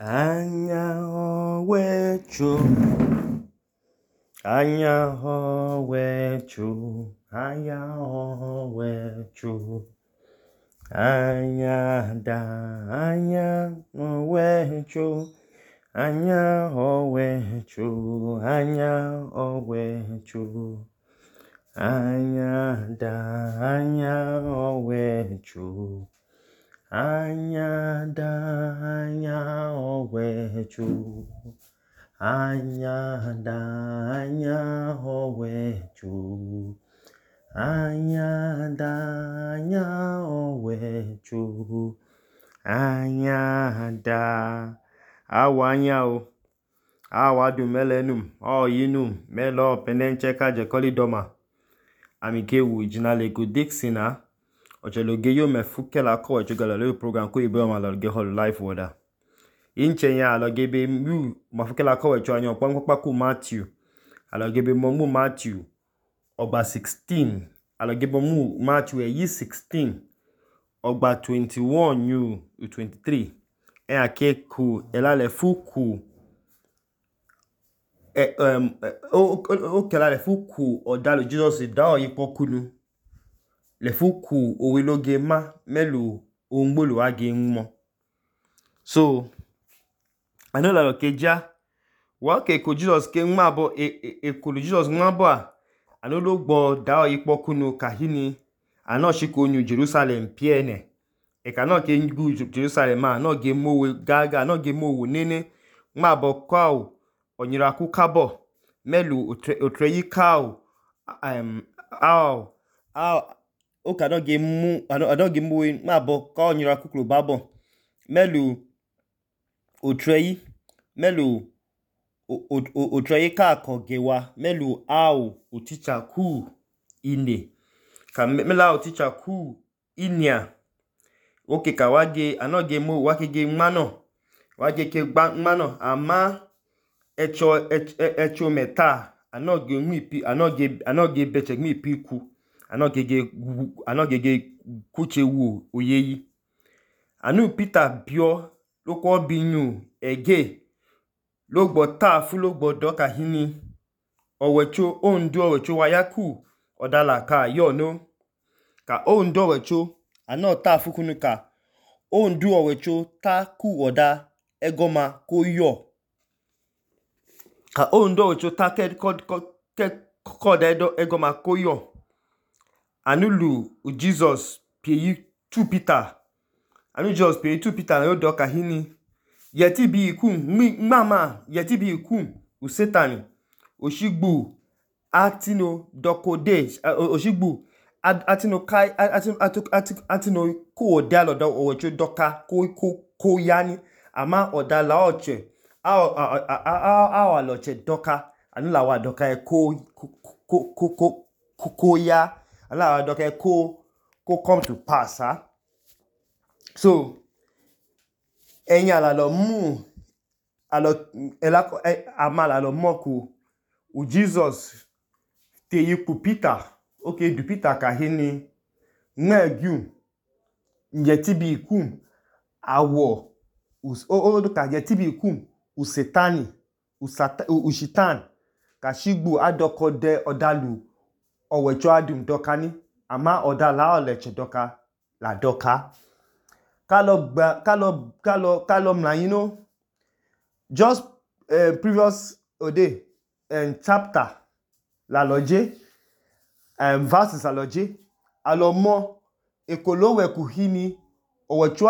Anya owecho, anya owecho, anya owecho, anya da, anya owecho, anya owecho, anya owecho, anya da, anya owecho. Anya da, anya owecho, anya da, anya owecho, anya da, anya owecho, anya da. Awanya o, awadu melenum, yinum, melo penenche kaje kolidoma. Amikewu jinalego Dixina. Ocheloge yo mefuke la ko echogala le program ko ibe ma loge hol life wada. Inche ya loge be mu mafuke la ko echo anyo pampa ku Matthew. Aloge be mu Matthew ogba 16. Aloge be mu Matthew yi 16. Ogba 21 new 23. Ake ku elale fuku kelale fuku odalu Jesus da oyipokunu. Le fuku owiloge ma melu ongbolu age nmo. So anola lo keja wa ke ko Jesus ke nma bo ekulu Jesus nma bo anolo gbo da oyipokunu kahini anoshiko nyu Jerusalem piene e kana ke ngu Jerusalem ma no ge mowe gaga no ge mowo nene nma bo kwa onyira ku kabo melu otreyi ka o ka no ge mu ano ge mu ma bo ka onyira kuklo babo melu otreyi melu otreyi ka kogewa melu o teacher ku ine ka mela o teacher ku inia oke ka wage ano ge mu wake ge mano wage ke gba mano ama echo meta ano ge mu ipi ano ge beche mu ipi ku ano ge kuche wu oyeyi anu Peter bio lo ko binyu ege lo gbo ta fu lo gbo do kahini owecho ondu owecho wayaku odala ka yo no ka ondu owecho ano ta fu kunu ka ondu owecho ta ku oda egoma ko yo ka ondu owecho ta ko da egoma ko yo anulu Jesus pie 2 Peter anu Jesus pie 2 Peter na yo do kahini yeti bi ikum mama yeti bi ikum u Satan oshigbu atino dokode oshigbu atino kai atino ku odalo do owecho doka ko yani ama odala oche aloche doka anula wa doka ko ya ala doka ko come to pass so enya la lo mu alo elako amala lo moku u Jesus te yipu Peter okay du Peter kahini ngegu yeti bi ikum awo ka yeti bi ikum u Satani u shitan ka shigbu adokode odalu owecho adum dokani ama odala oleche doka la doka kalo mlayino just previous ode chapter la loje verses la loje alomo ekolowe kuhini owecho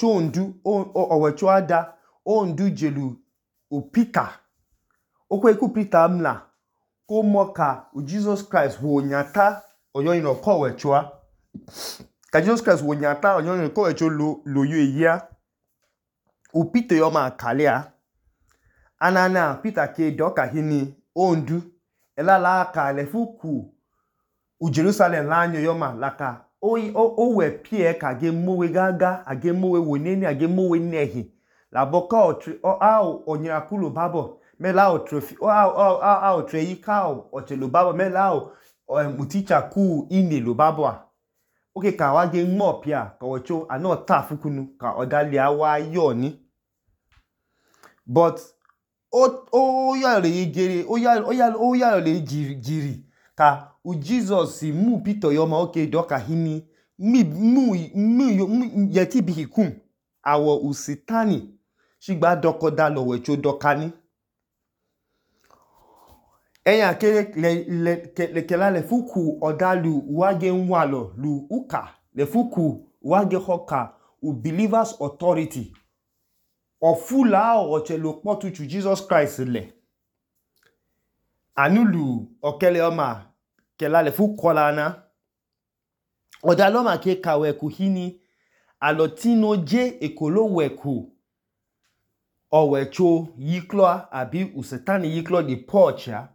ondu owecho ada ondu jelu u Peter okwe ku Peter mla ko moka u Jesus Christ wo nyata oyoyin ko wecho ka Jesus Christ wo nyata oyoyin ko wecho lo yo eya u Peter yo ma kalea anana Peter ke doka hini ondu elala ka le fuku u Jerusalem la anyo yo ma laka o we pie ka ge mowe gaga age mowe woneni age mowe nehi la boka onyira kulo babo mela o trophy o treyi ka o chelo babo mela o teacher ku ine lo babo oke ka wage mo pia ka wecho ano ta fukunu ka odali awa yo ni but o ya le yegere o ya le jiri ka u Jesus mu Peter yo ma oke doka hini mu yeti bi hikum awo usitani shigba doko da lo wecho doka ni eyan ke kela le fuku odalu wage nwalo lu uka le fuku wage hoka u believers authority ofula ochelo potuchu Jesus Christ le anulu okele oma kela le fuku lana odaloma ke kawe ku hini alotino je ekolo weku owecho yiklo abi usitani yiklo di pocha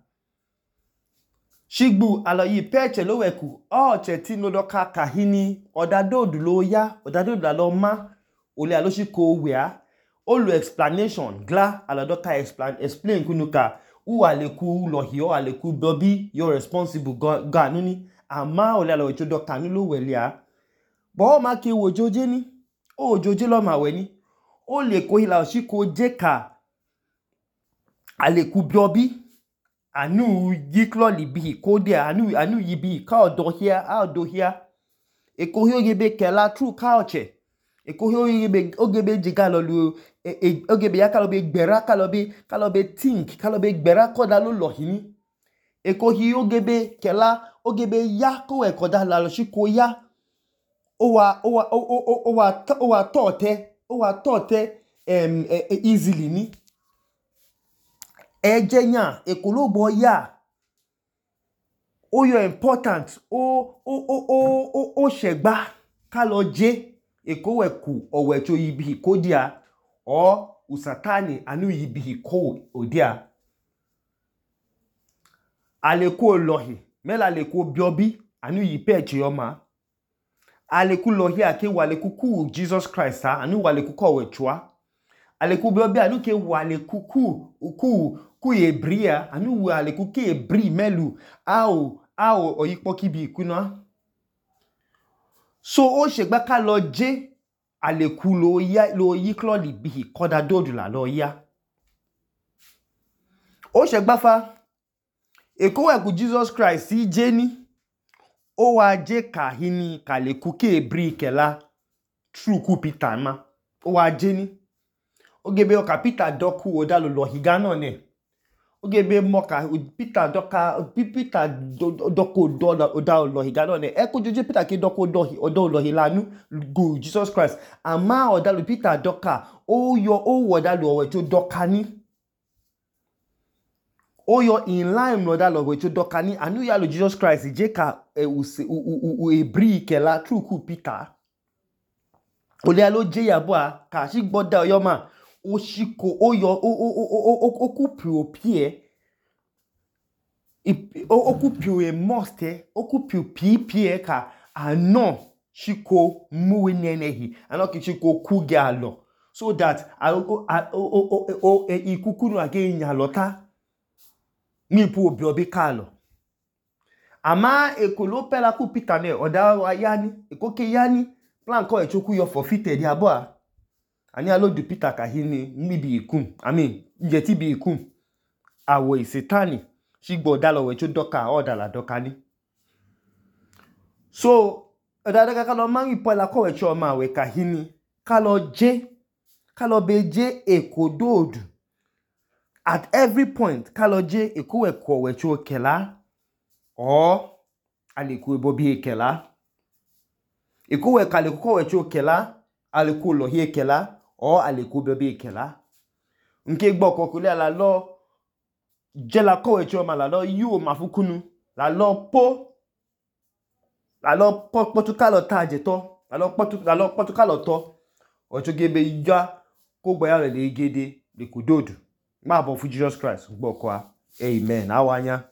shigbu aloyi peche lo weku oche tino doka kahini odadodu lo ya odadodu lo ma ole aloshiko wea olu explanation gla aladoka explain kunuka u aleku lohio aleku dobi you're responsible ga nuni ama ole alowecho doka nulo welia bo ma ke wojoje ni o joje lo ma we ni o le ko hila oshiko jeka aleku biobi anu yiklo libi kodia anu yibi ka odohia ekohio gebe kela true culture ekohio gebe jiga lolu ogebe ya kalobe gbera kalobe think kalobe gbera koda lo lohini ekohio gebe kela ogebe ya ko ekoda la lo shiko ya o wa tote easily ni ejenya ekologbo ya o yo important o shegba kalo je ekoweku owecho yibi kodia o usatani anu yibi ko odia aleku lohi mela aleku biobi anu yipeche yoma aleku lohi ake waleku ku Jesus Christ anu waleku ko wechwa aleku biobi anu ke waleku ku ebria anu waleku ke ebri melu ao oyipo kibi kuna so o shegba ka lo je aleku lo yiklo libi koda dodu la lo ya o shegba fa ekoweku Jesus Christ si je ni o wa je kahini kaleku ke ebri kela true ku Peter ma o wa je ni ogebe oka Peter doku odalo lohiga no ne ogebe moka Peter doko odalo lohiga no ne eko joje Peter ke doko odo lohilanu go Jesus Christ ama odalo Peter doka o odalo owecho doka ni o yo in line odalo owecho doka ni anu ya lo Jesus Christ je ka ebri kela true ku Peter ole alo je yabua ka shi gboda oyoma o shiko o yo o kupu opie o kupu e moste o kupu pipie ka ano shiko muwe nenehi ano ki shiko kuge alo so that ikukunu age nyalota ni pu obiobi kalo ama ekolo pela ku Peter ne oda wa yani ekoke yani plan ko echoku yo forfeited yabua ani alo du Peter kahini mibi ikum yeti bi ikum awo isitani shigbo dalo wecho doka odala doka ni so odada kalo mangi pola ko wecho ma we kahini kalo beje ekododu at every point kalo je ekowe ko wecho kela o aliku ebobi ekela ekowe kaleku ko wecho kela aliku lohi ekela o aleku bebe ekela nke gbo kokule la lo jela ko wecho ma la lo yu mafukunu la lo potukalo taje to la lo potukalo to ocho gebe ya ko gboya le gede le kudodu ma bo fu Jesus Christ gbo kwa amen awanya